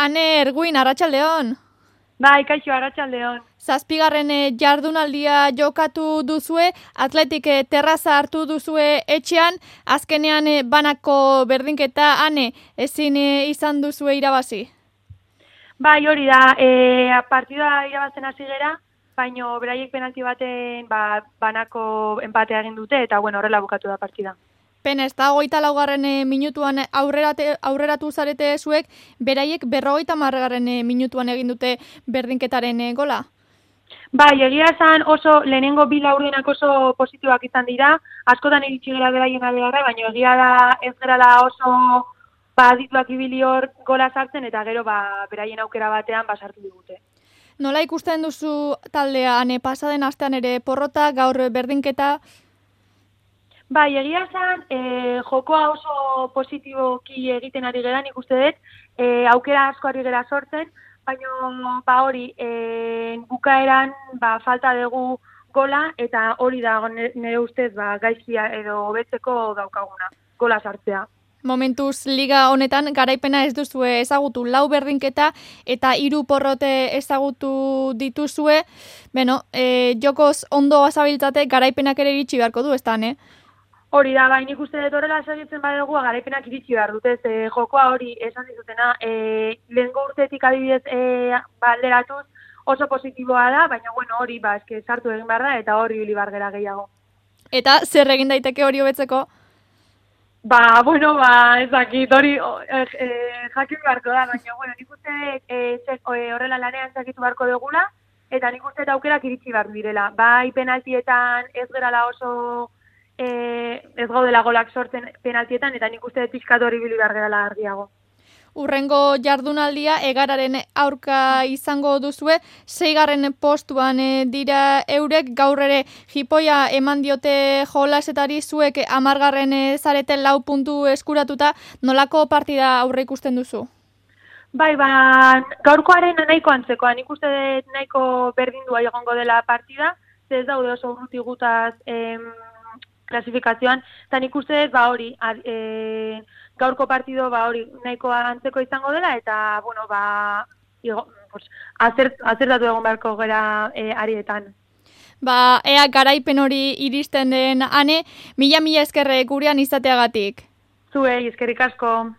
Ane Erguin, arratsaldeon. Bai, kaixo, arratsaldeon. Zazpigarren jardunaldia jokatu duzue, Atletik terraza hartu duzue etxean, azkenean banako berdinketa, Ane, ezin izan duzue irabazi? Bai, hori da, partida irabazten hasi gera, baino beraiek penalti baten banako enpatea egin dute, eta bueno, horrela bukatu da partida. Pena, ez da, 24. minutuan aurreratu zarete zuek, beraiek 50. minutuan egin dute berdinketaren gola? Bai, egia esan oso lehenengo bi laurdenak oso positiboak izan dira, askotan iritsi gera beraien aldeara, baina egia da ez gerala oso adituak ibili hor gola sartzen, eta gero beraien aukera batean sartu digute. Nola ikusten duzu taldea, Ane, pasaden astean ere porrota, gaur berdinketa? Bai, egia esan, jokoa oso positiboki egiten ari gera, nik uste dut, aukera asko ari gera sortzen, baina hori, bukaeran falta dugu gola, eta hori da nire ustez gaizkia edo hobetzeko daukaguna, gola sartzea. Momentuz liga honetan garaipena ez duzue ezagutu, 4 berdinketa eta 3 porrote ezagutu dituzue. Beno, jokoz ondo azabiltzate garaipenak ere iritsi beharko du, ez da, ne? Hori da, nik uste dut horrela segitzen badugu garaipenak iritsi behar dut, jokoa hori esan dizutena, lehengo urtetik adibidez alderatuz oso positiboa da, baina bueno, hori eske sartu egin behar da eta hori ibili behar gera gehiago. Eta zer egin daiteke hori hobetzeko? Ez dakit, hori jakin beharko da, baina bueno, nik uste horrela lanean zakitu beharko dugula, eta nik uste aukerak iritsi behar direla. Bai penaltietan ez gerala oso ez gaudela golak sortzen penaltietan, eta nik uste pixkat hori ibili behar gerala argiago. Urrengo jardunaldia Egararen aurka izango duzue, 6. postuan dira eurek, gaur ere jipoia eman diote jolasetari, zuek 10. zarete 4 puntu eskuratuta, nolako partida aurre ikusten duzu? Bai, gaurkoaren nahiko antzekoa, nik uste dut nahiko berdindua egongo dela partida, ez daude oso urruti gutaz klasifikazioan, eta nik uste dut hori, gaurko partido hori nahiko antzeko izango dela, eta bueno, azertatu egon beharko gera arietan. Ea garaipen hori iristen den, Ane, mila eskerre gurean izateagatik. Zuei, eskerrik asko.